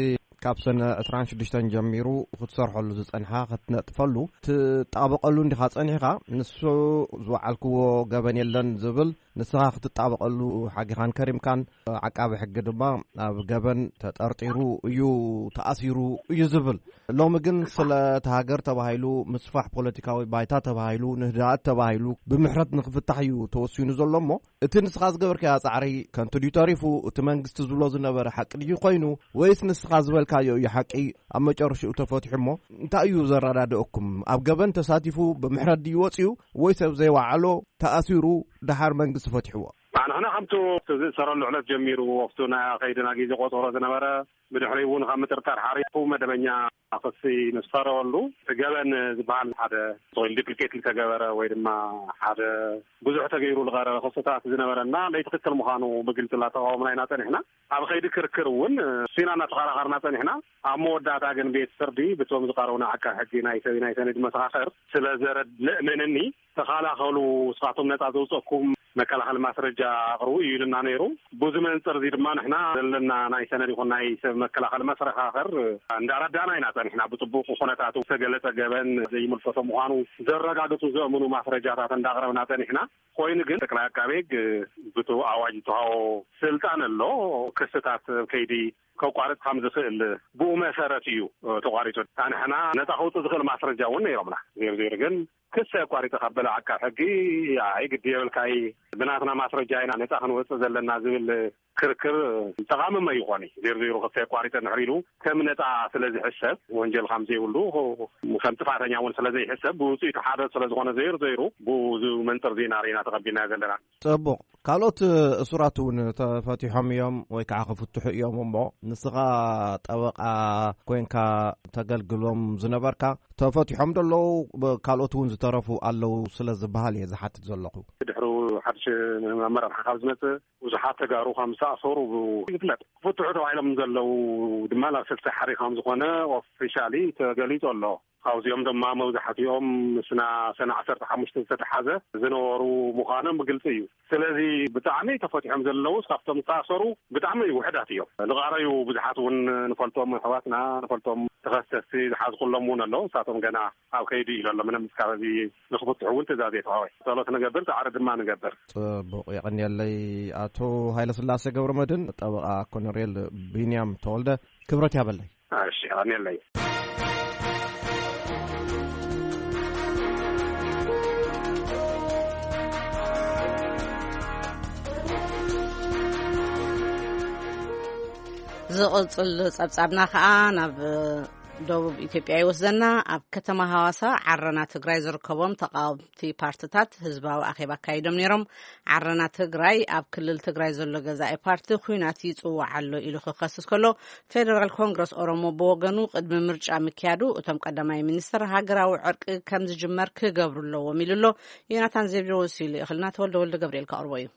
ካብ ሰነ ዕስራን ሽዱሽተን ጀሚሩ ክትሰርሐሉ ዝጸንሓ፣ ክትነጥፈሉ ትጣበቐሉ እንዲኻ ጸኒሕካ፣ ንሱ ዝወዓልክዎ ገበን የለን ዝብል፣ ንስኻ ክትጣበቐሉ ሓጊኻን ከሪምካን፣ ዓቃቢ ሕጊ ድማ ኣብ ገበን ተጠርጢሩ እዩ፣ ተኣሲሩ እዩ ዝብል። ሎሚ ግን ስለ እቲ ሃገር ተባሂሉ፣ ምስፋሕ ፖለቲካዊ ባይታ ተባሂሉ፣ ንህዳኣት ተባሂሉ ብምሕረት ንክፍታሕ እዩ ተወሲኑ ዘሎ። እሞ እቲ ንስኻ ዝገበርካዮ ጻዕሪ ከንቱ ድዩ ተሪፉ? እቲ መንግስቲ ዝብሎ ዝነበረ ሓቂ ድዩ ኮይኑ? ወይስ ንስኻ ዝበልካዮ እዩ ሓቂ? ኣብ መጨረሽኡ ተፈቲሑ እሞ እንታይ እዩ ዘረዳድኦኩም? ኣብ ገበን ተሳቲፉ ብምሕረት ድዩ ወጺኡ? ወይስ ኣብ ዘይወዓሎ ተኣሲሩ ደሓር መንግስቲ ፈቲሕዎ? ንሕና ከምቱ ዝእሰረሉ ዕለት ጀሚሩ፣ ኣብቱ ናይ ከይድና ግዜ ቆጸሮ ዝነበረ፣ ብድሕሪኡ እውን ካብ ምጥርጣር ሓሪፉ መደበኛ ክሲ ንዝፈረወሉ፣ እቲ ገበን ዝበሃል ሓደ ወይ ዱፕሊኬት ዝተገበረ ወይ ድማ ሓደ ብዙሕ ተገይሩ ዝቐረበ ክስታት ዝነበረና፣ ለይትክክል ምዃኑ ብግልፂ እናተቃወምና ኢና ጸኒሕና። ኣብ ከይዲ ክርክር እውን ሲና እናተኸራኸርና ጸኒሕና። ኣብ መወዳእታ ግን ቤት ፍርዲ ብቶም ዝቐረቡና ዓቃብ ሕጊ፣ ናይ ሰብ ናይ ሰነድ መሰኻኽር ስለ ዘረድእ፣ ምእመንኒ ተኸላኸሉ፣ ንስኻቶም ነጻ ዘውፀኩም መከላኸሊ ማስረጃ ኣቕርቡ እዩ ኢሉና ነይሩ። ብዙ መንፅር እዚ ድማ ንሕና ዘለና ናይ ሰነድ ይኹን ናይ ሰብ መከላኸሊ መሰኻኽር እንዳረዳእና ኢና ጸኒሕና። ብፅቡቅ ኩነታቱ ዝተገለጸ ገበን ዘይምልከቶ ምዃኑ ዘረጋግፁ ዘእምኑ ማስረጃታት እንዳቕረብና ጸኒሕና። ኮይኑ ግን ጠቅላይ ዓቃቤ ሕግ ብቱ ኣዋጅ ዝተሃቦ ስልጣን ኣሎ፣ ክስታት ከይዲ ከቋርጽ ከም ዝኽእል ብኡ መሰረት እዩ ተቋሪጹ። ንሕና ነጻ ከውጽእ ዝኽእል ማስረጃ እውን ነይሮምና። ዜሮ ዜሮ ግን ክስ ኣቋሪጸ ካብ በለ ዓቃብ ሕጊ፣ ኣይ ግዲ የብልካይ፣ ብናትና ማስረጃ ኢና ነጻ ክንወጽእ ዘለና ዝብል ክርክር ጠቓሚ መ ይኾን እዩ። ዜሮ ዜሮ ክስ ኣቋሪጸ እንድሕር ኢሉ ከም ነጻ ስለ ዝሕሰብ፣ ወንጀል ከም ዘይብሉ፣ ከም ጥፋተኛ እውን ስለ ዘይሕሰብ፣ ብውጽኢቱ ሓደ ስለ ዝኾነ ዜሮ ዜሮ ብኡ መንጽር ዜና ርኢና ተቐቢልናዮ ዘለና። ጽቡቕ። ካልኦት እሱራት እውን ተፈቲሖም እዮም ወይ ከዓ ክፍትሑ እዮም። እሞ ንስኻ ጠበቃ ኮንካ ተገልግሎም ዝነበርካ፣ ተፈቲሖም ዶ ኣለዉ? ብ-፣ ካልኦት እውን ዝተረፉ ኣለዉ ስለ ዝበሃል እየ ዝሓትት ዘለኹ። ድሕሩ ሓድሽ ኣመራርሓ ካብ ዝመጽእ ብዙሓት ተጋሩ ከም ዝተኣሰሩ ይፍለጥ። ክፍትሑ ተባሂሎም ዘለዉ ድማ ናብ ስልሳ ሓሪ ከም ዝኾነ ኦፊሻሊ ተገሊጹ ኣሎ። ካብዚኦም ድማ መብዛሕትኦም ምስና ሰነ ዓሰርተ ሓሙሽተ ዝተተሓዘ ዝነበሩ ምዃኖም ብግልጺ እዩ። ስለዚ ብጣዕሚ ተፈቲሖም ዘለዉ ካብቶም ዝተኣሰሩ ብጣዕሚ ውሕዳት እዮም። ዝቐረዩ ብዙሓት እውን ንፈልጦም ኣሕዋትና፣ ንፈልጦም ተኸሰስቲ ዝሓዝኩሎም እውን ኣለዉ። ንሳቶም ገና ኣብ ከይዲ እዩ ዘሎ። ምንም እስካብ ሕዚ ንክፍትሑ እውን ትእዛዝ የተዋወ። ጸሎት ንገብር፣ ጻዕሪ ድማ ንገብር። ጽቡቕ፣ የቐንየለይ። ኣቶ ሃይለስላሴ ገብረመድህን፣ ጠበቓ ኮሎኔል ቢንያም ተወልደ፣ ክብረት ያበለይ። እሺ፣ ኣሜለይ። ዝቕጽል ጸብጻብና ከኣ ናብ ደቡብ ኢትዮጵያ ይወስደና። ኣብ ከተማ ሃዋሳ ዓረና ትግራይ ዝርከቦም ተቃወምቲ ፓርትታት ህዝባዊ ኣኼባ ኣካይዶም ነይሮም። ዓረና ትግራይ ኣብ ክልል ትግራይ ዘሎ ገዛኢ ፓርቲ ኲናት ይጽዋዕ ኣሎ ኢሉ ክኸስስ ከሎ፣ ፌደራል ኮንግረስ ኦሮሞ ብወገኑ ቅድሚ ምርጫ ምክያዱ እቶም ቀዳማይ ሚኒስትር ሃገራዊ ዕርቂ ከም ዝጅመር ክገብሩ ኣለዎም ኢሉ ኣሎ። ዮናታን ዜብሮ ወሲሉ ይኽልና፣ ተወልደ ወልደ ገብርኤል ከቕርቦ እዩ።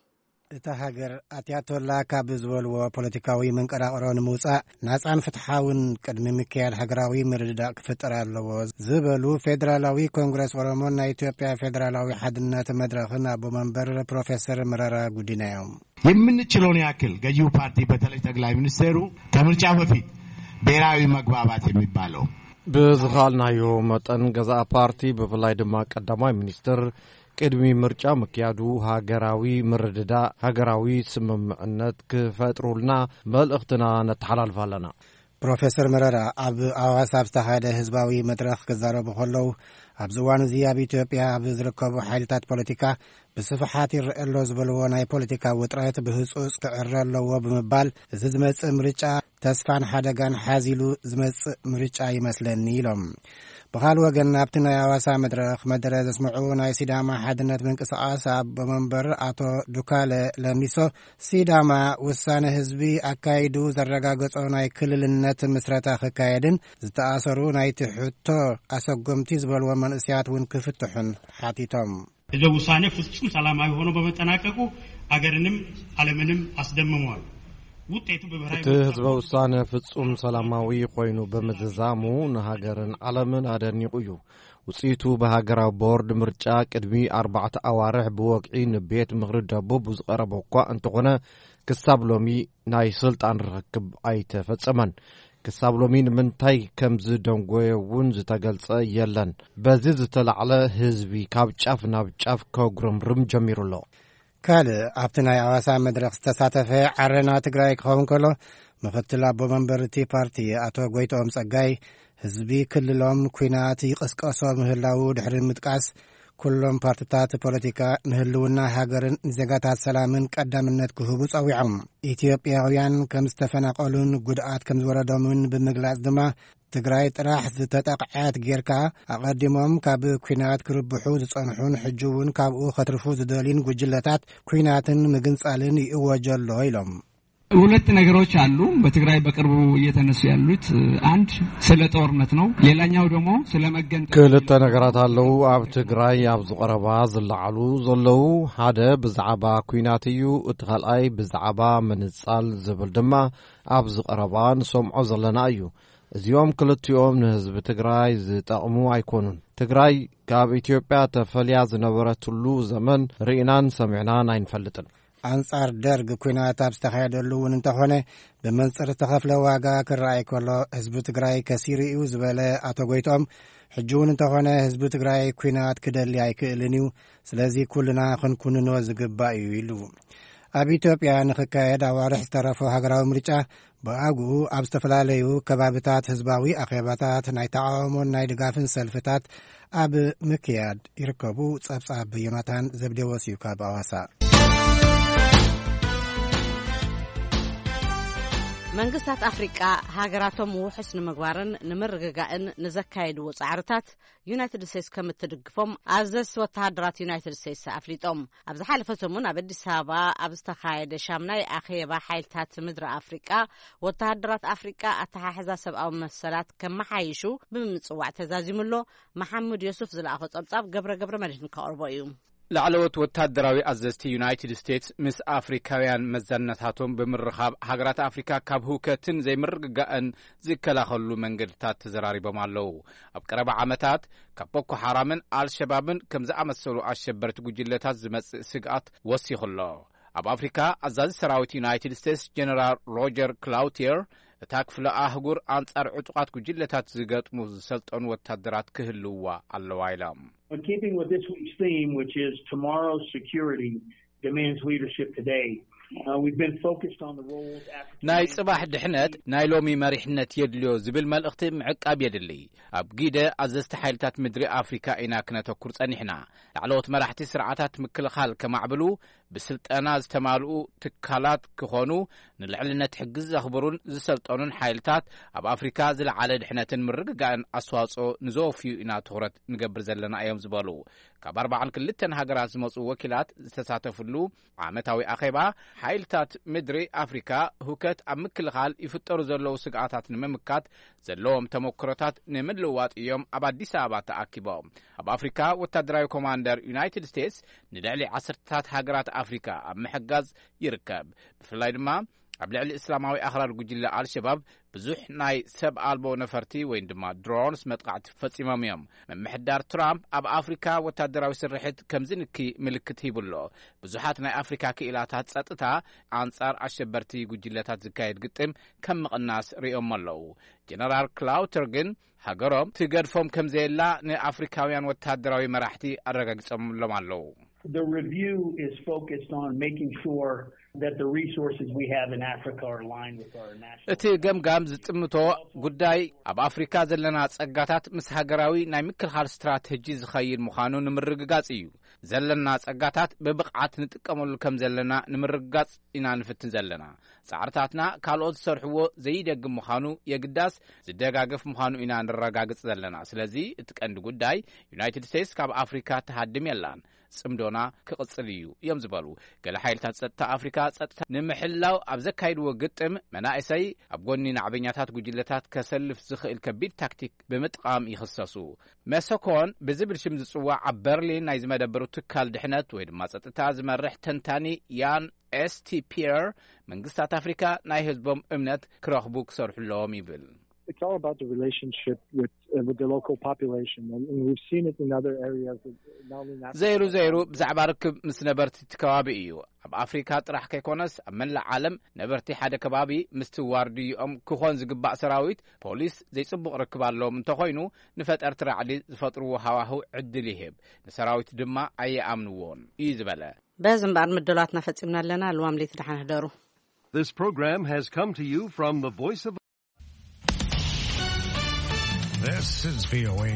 እታ ሃገር ኣትያቶላ ካብ ዝበልዎ ፖለቲካዊ መንቀራቕሮ ንምውጻእ ናጻን ፍትሓውን ቅድሚ ምክያድ ሃገራዊ ምርድዳእ ክፍጠር ኣለዎ ዝበሉ ፌደራላዊ ኮንግረስ ኦሮሞን ናይ ኢትዮጵያ ፌደራላዊ ሓድነት መድረኽን ኣቦ መንበር ፕሮፌሰር መረራ ጉዲና እዮም። የምንችለውን ያክል ገዢው ፓርቲ በተለይ ጠቅላይ ሚኒስቴሩ ከምርጫ በፊት ብሔራዊ መግባባት የሚባለው ብዝኻልናዮ መጠን ገዛእ ፓርቲ ብፍላይ ድማ ቀዳማይ ሚኒስትር ቅድሚ ምርጫ ምክያዱ ሃገራዊ ምርድዳእ፣ ሃገራዊ ስምምዕነት ክፈጥሩልና መልእኽትና ነተሓላልፍ ኣለና። ፕሮፌሰር መረራ ኣብ ኣዋሳ ኣብ ዝተኻየደ ህዝባዊ መድረኽ ክዛረቡ ከለዉ፣ ኣብዚ እዋን እዚ ኣብ ኢትዮጵያ ኣብ ዝርከቡ ሓይልታት ፖለቲካ ብስፍሓት ይረአ ኣሎ ዝበልዎ ናይ ፖለቲካ ውጥረት ብህጹጽ ክዕረ ኣለዎ ብምባል፣ እዚ ዝመጽእ ምርጫ ተስፋን ሓደጋን ሓዚሉ ዝመጽእ ምርጫ ይመስለኒ ኢሎም። ብኻል ወገን ኣብቲ ናይ ኣዋሳ መድረኽ መደረ ዘስምዑ ናይ ሲዳማ ሓድነት ምንቅስቃስ ኣቦ መንበር ኣቶ ዱካለ ለሚሶ፣ ሲዳማ ውሳነ ህዝቢ ኣካይዱ ዘረጋገጾ ናይ ክልልነት ምስረታ ክካየድን ዝተኣሰሩ ናይቲ ሕቶ ኣሰጎምቲ ዝበልዎም መንእስያት እውን ክፍትሑን ሓቲቶም። ህዝበ ውሳኔ ፍጹም ሰላማዊ ሆኖ በመጠናቀቁ አገርንም ዓለምንም አስደምሟል። ውጤቱ በብሔራዊ እቲ ምርጫ ህዝበ ውሳነ ፍጹም ሰላማዊ ኮይኑ ብምዝዛሙ ንሃገርን ዓለምን ኣደኒቑ እዩ። ውጽኢቱ ብሃገራዊ ቦርድ ምርጫ ቅድሚ ኣርባዕተ ኣዋርሕ ብወግዒ ንቤት ምኽሪ ደቡብ ዝቐረበ እኳ እንተኾነ፣ ክሳብ ሎሚ ናይ ስልጣን ርኽክብ ኣይተፈጸመን። ክሳብ ሎሚ ንምንታይ ከም ዝደንጎየ እውን ዝተገልጸ የለን። በዚ ዝተላዕለ ህዝቢ ካብ ጫፍ ናብ ጫፍ ከጉረምርም ጀሚሩ ኣሎ። ካልእ ኣብቲ ናይ ኣዋሳ መድረኽ ዝተሳተፈ ዓረና ትግራይ ክኸውን ከሎ፣ ምኽትል ኣቦ መንበር እቲ ፓርቲ ኣቶ ጎይትኦም ጸጋይ፣ ህዝቢ ክልሎም ኲናት ይቕስቀሶ ምህላዉ ድሕሪ ምጥቃስ፣ ኩሎም ፓርትታት ፖለቲካ ንህልውና ሃገርን ንዜጋታት ሰላምን ቀዳምነት ክህቡ ጸዊዖም። ኢትዮጵያውያን ከም ዝተፈናቐሉን ጉድኣት ከም ዝወረዶምን ብምግላጽ ድማ፣ ትግራይ ጥራሕ ዝተጠቕዐት ጌርካ፣ ኣቐዲሞም ካብ ኲናት ክርብሑ ዝጸንሑን ሕጂ እውን ካብኡ ከትርፉ ዝደልዩን ጉጅለታት ኲናትን ምግንጻልን ይእወጀ ኣሎ ኢሎም። ሁለት ነገሮች አሉ በትግራይ በቅርቡ እየተነሱ ያሉት። አንድ ስለ ጦርነት ነው። ሌላኛው ደግሞ ስለ መገንጠል። ክልተ ነገራት ኣለዉ ኣብ ትግራይ ኣብ ዝቐረባ ዝለዓሉ ዘለዉ። ሓደ ብዛዕባ ኲናት እዩ፣ እቲ ካልኣይ ብዛዕባ ምንጻል ዝብል ድማ ኣብ ዝቐረባ ንሰምዖ ዘለና እዩ። እዚኦም ክልቲኦም ንህዝቢ ትግራይ ዝጠቕሙ ኣይኮኑን። ትግራይ ካብ ኢትዮጵያ ተፈልያ ዝነበረትሉ ዘመን ርኢናን ሰሚዕናን ኣይንፈልጥን። ኣንጻር ደርግ ኲናት ኣብ ዝተኻየደሉ እውን እንተኾነ፣ ብመንጽር ዝተኸፍለ ዋጋ ክረኣይ ከሎ፣ ህዝቢ ትግራይ ከሲሩ እዩ ዝበለ ኣቶ ጎይትኦም፣ ሕጂ እውን እንተኾነ ህዝቢ ትግራይ ኲናት ክደሊ ኣይክእልን እዩ። ስለዚ ኩልና ክንኩንኖ ዝግባእ እዩ ኢሉ። ኣብ ኢትዮጵያ ንኽካየድ ኣዋርሕ ዝተረፎ ሃገራዊ ምርጫ፣ ብኣግኡ ኣብ ዝተፈላለዩ ከባብታት ህዝባዊ ኣኼባታት ናይ ተቓውሞን ናይ ድጋፍን ሰልፍታት ኣብ ምክያድ ይርከቡ። ጸብጻብ ዮናታን ዘብዴዎስ እዩ ካብ ኣዋሳ። መንግስታት ኣፍሪቃ ሃገራቶም ውሑስ ንምግባርን ንምርግጋእን ንዘካየድዎ ጻዕርታት ዩናይትድ ስቴትስ ከም እትድግፎም ኣዘዝቲ ወተሃደራት ዩናይትድ ስቴትስ ኣፍሊጦም። ኣብ ዝሓለፈ ሰሙን ኣብ ኣዲስ ኣበባ ኣብ ዝተኻየደ ሻምናይ ኣኼባ ሓይልታት ምድሪ ኣፍሪቃ፣ ወተሃደራት ኣፍሪቃ ኣተሓሕዛ ሰብኣዊ መሰላት ከመሓይሹ ብምጽዋዕ ተዛዚሙ ኣሎ። መሓሙድ ዮሱፍ ዝለኣኾ ጸብጻብ ገብረ ገብረ መድህን ከቕርቦ እዩ። ላዕለዎት ወታደራዊ ኣዘዝቲ ዩናይትድ ስቴትስ ምስ ኣፍሪካውያን መዛንነታቶም ብምርኻብ፣ ሃገራት ኣፍሪካ ካብ ህውከትን ዘይምርግጋእን ዝከላኸሉ መንገድታት ተዘራሪቦም ኣለዉ። ኣብ ቀረባ ዓመታት ካብ ቦኮ ሓራምን ኣልሸባብን ከም ዝኣመሰሉ ኣሸበርቲ ጉጅለታት ዝመጽእ ስግኣት ወሲኹ ኣሎ። ኣብ ኣፍሪካ ኣዛዚ ሰራዊት ዩናይትድ ስቴትስ ጀነራል ሮጀር ክላውቲየር፣ እታ ክፍለ ኣህጉር ኣንጻር ዕጡቓት ጉጅለታት ዝገጥሙ ዝሰልጠኑ ወታደራት ክህልውዋ ኣለዋ ኢሎም። In keeping with this week's theme, which is tomorrow's security demands leadership today, uh, we've been focused on the roles African ናይ ጽባሕ ድሕነት ናይ ሎሚ መሪሕነት የድልዮ ዝብል መልእኽቲ ምዕቃብ የድሊ። ኣብ ጊደ ኣዘዝቲ ሓይልታት ምድሪ ኣፍሪካ ኢና ክነተኩር ጸኒሕና። ላዕለዎት መራሕቲ ስርዓታት ምክልኻል ከማዕብሉ፣ ብስልጠና ዝተማልኡ ትካላት ክኾኑ፣ ንልዕልነት ሕጊ ዘኽብሩን ዝሰልጠኑን ሓይልታት ኣብ ኣፍሪካ ዝለዓለ ድሕነትን ምርግጋእን ኣስተዋፅኦ ንዘወፍዩ ኢና ትኹረት ንገብር ዘለና እዮም ዝበሉ። ካብ ኣርባዓን ክልተን ሃገራት ዝመፁ ወኪላት ዝተሳተፍሉ ዓመታዊ ኣኼባ፣ ሓይልታት ምድሪ ኣፍሪካ ህውከት ኣብ ምክልኻል ይፍጠሩ ዘለዉ ስግኣታት ንምምካት ዘለዎም ተመክሮታት ንምልውዋጥ እዮም ኣብ ኣዲስ ኣበባ ተኣኪቦም። ኣብ ኣፍሪካ ወታደራዊ ኮማንደር ዩናይትድ ስቴትስ ንልዕሊ ዓሰርተታት ሃገራት ኣፍሪካ ኣብ ምሕጋዝ ይርከብ። ብፍላይ ድማ ኣብ ልዕሊ እስላማዊ ኣኽራር ጉጅለ ኣልሸባብ ብዙሕ ናይ ሰብ ኣልቦ ነፈርቲ ወይ ድማ ድሮንስ መጥቃዕቲ ፈጺሞም እዮም። ምምሕዳር ትራምፕ ኣብ ኣፍሪካ ወታደራዊ ስርሒት ከምዝንኪ ምልክት ሂቡ ኣሎ። ብዙሓት ናይ ኣፍሪካ ክኢላታት ጸጥታ ኣንጻር ኣሸበርቲ ጉጅለታት ዝካየድ ግጥም ከም ምቕናስ ርእዮሞ ኣለዉ። ጀነራል ክላውተር ግን ሃገሮም ትገድፎም ከምዘየላ ንኣፍሪካውያን ወታደራዊ መራሕቲ ኣረጋጊጾምሎም ኣለዉ። The review is focused on making sure that the resources we have in Africa are aligned with our national እቲ ገምጋም ዝጥምቶ ጉዳይ ኣብ ኣፍሪካ ዘለና ጸጋታት ምስ ሃገራዊ ናይ ምክልኻል ስትራተጂ ዝኸይድ ምዃኑ ንምርግጋጽ እዩ። ዘለና ጸጋታት ብብቕዓት ንጥቀመሉ ከም ዘለና ንምርግጋጽ ኢና ንፍትን ዘለና። ጻዕርታትና ካልኦት ዝሰርሕዎ ዘይደግም ምዃኑ የግዳስ ዝደጋገፍ ምዃኑ ኢና ንረጋግጽ ዘለና። ስለዚ እቲ ቀንዲ ጉዳይ ዩናይትድ ስቴትስ ካብ ኣፍሪካ ትሃድም የላን፣ ጽምዶና ክቕጽል እዩ እዮም ዝበሉ። ገለ ሓይልታት ጸጥታ ኣፍሪካ ጸጥታ ንምሕላው ኣብ ዘካይድዎ ግጥም መናእሰይ ኣብ ጎኒ ናዕበኛታት ጉጅለታት ከሰልፍ ዝኽእል ከቢድ ታክቲክ ብምጥቓም ይኽሰሱ። መሰኮን ብዝብል ሽም ዝጽዋዕ ኣብ በርሊን ናይ ዝመደበሩ ትካል ድሕነት ወይ ድማ ጸጥታ ዝመርሕ ተንታኒ ያን ኤስቲ ፒየር፣ መንግስታት ኣፍሪካ ናይ ህዝቦም እምነት ክረኽቡ ክሰርሑ ኣለዎም ይብል። It's all about the relationship with uh, with the local population, and, and we've seen it in other areas. Of, not only in Africa, ዘይሩ but ዘይሩ also- ብዛዕባ ርክብ ምስ ነበርቲ እቲ ከባቢ እዩ። ኣብ ኣፍሪካ ጥራሕ ከይኮነስ ኣብ መላእ ዓለም ነበርቲ ሓደ ከባቢ ምስቲ ዋርድይኦም ክኾን ዝግባእ ሰራዊት ፖሊስ ዘይጽቡቕ ርክብ ኣለዎም እንተኾይኑ፣ ንፈጠርቲ ራዕዲ ዝፈጥርዎ ሃዋህው ዕድል ይህብ፣ ንሰራዊት ድማ ኣየኣምንዎን እዩ ዝበለ። በዚ እምበኣር ምድላትና ፈጺምና ኣለና። ልዋም ለይቲ ደሓን ህደሩ። This program has come to you from the Voice of This is V O A